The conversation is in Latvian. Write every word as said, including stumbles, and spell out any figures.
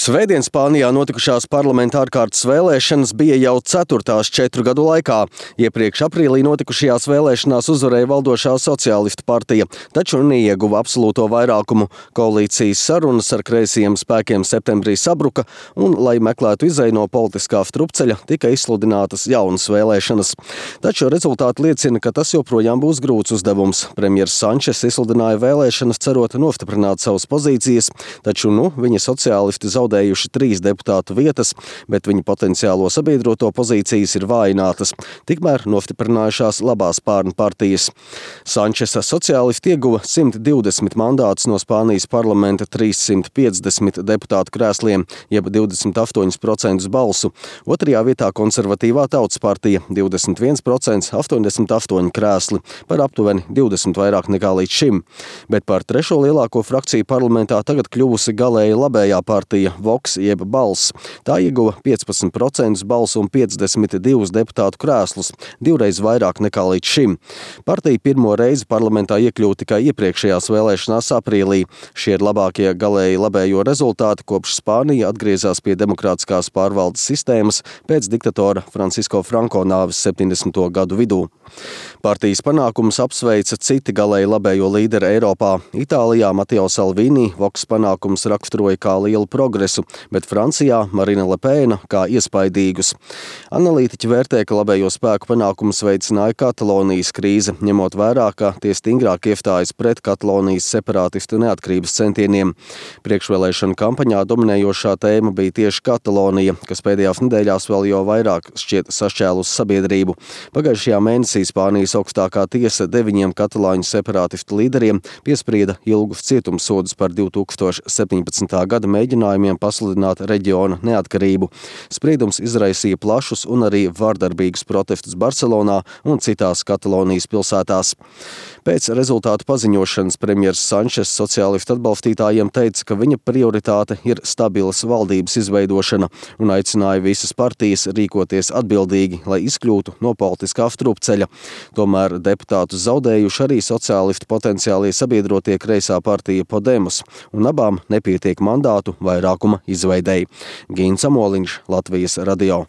Svētdien Spānijā notikušās parlamenta ārkārtas vēlēšanas bija jau ceturtās četru gadu laikā. Iepriekš aprīlī notikušajās vēlēšanās uzvarēja valdošā sociālistu partija, taču neieguva absolūto vairākumu. Koalīcijas sarunas ar kreisajiem spēkiem septembrī sabruka, un, lai meklētu izeju no politiskā strupceļa, tika izsludinātas jaunas vēlēšanas. Taču rezultāti liecina, ka tas joprojām būs grūts uzdevums. Premjers Sančes izsludināja vēlēšanas, cerot nostiprināt savas pozīcijas, taču nu viņa sociālisti zaudējuši trīs deputātu vietas, bet viņa potenciālo sabiedroto pozīcijas ir vājinātas, tikmēr nostiprinājušās labās spārnu partijas. Sančesa sociālisti ieguva simt divdesmit mandātus no Spānijas parlamenta trīssimt piecdesmit deputātu krēsliem, jeb divdesmit astoņi procenti balsu. Otrajā vietā konservatīvā Tautas partija divdesmit viens procents, astoņdesmit astoņi krēsli, par aptuveni divdesmit vairāk nekā līdz šim. Bet par trešo lielāko frakciju parlamentā tagad kļuvusi galēji labējā partija Vox jeb Balss. Tā ieguva piecpadsmit procentus balsu un piecdesmit divus deputātu krēslus, divreiz vairāk nekā līdz šim. Partija pirmo reizi parlamentā iekļuva tikai iepriekšējās vēlēšanās aprīlī. Šie ir labākie galēji labējo rezultāti, kopš Spānija atgriezās pie demokrātiskās pārvaldes sistēmas pēc diktatora Francisko Franko nāves septiņdesmito gadu vidū. Partijas panākumus apsveica citi galēji labējo līderi Eiropā. Itālijā Matteo Salvini Vox panākumus raksturoja kā lielu progresu, bet Francijā Marine Le Pen kā iespaidīgus. Analītiķi vērtē, ka labējo spēku panākumus veicināja Katalonijas krīze, ņemot vērā, ka tie stingrāk iestājas pret Katalonijas separātistu neatkarības centieniem. Priekšvēlēšanu kampaņā dominējošā tēma bija tieši Katalonija, kas pēdējās nedēļās vēl jau vairāk šķiet sašķēlus sabiedrību. Pagājušajā mēnesī Spānijas augstākā tiesa deviņiem katalāņu separātistu līderiem piesprieda ilgus cietumsodus par divi tūkstoši septiņpadsmitā gada mēģinājumiem pasludināt reģiona neatkarību. Spriedums izraisīja plašus un arī vardarbīgus protestus Barcelonā un citās Katalonijas pilsētās. Pēc rezultātu paziņošanas premjers Sančes sociālistu atbalstītājiem teica, ka viņa prioritāte ir stabilas valdības izveidošana un aicināja visas partijas rīkoties atbildīgi, lai izkļūtu no politiskā strupceļa. Tomēr deputātus zaudējuši arī sociālistu potenciālie sabiedrotie kreisā partija Podemos, un abām nepietiek mandātu vairākuma izveidei. Gīns Amoliņš, Latvijas radio.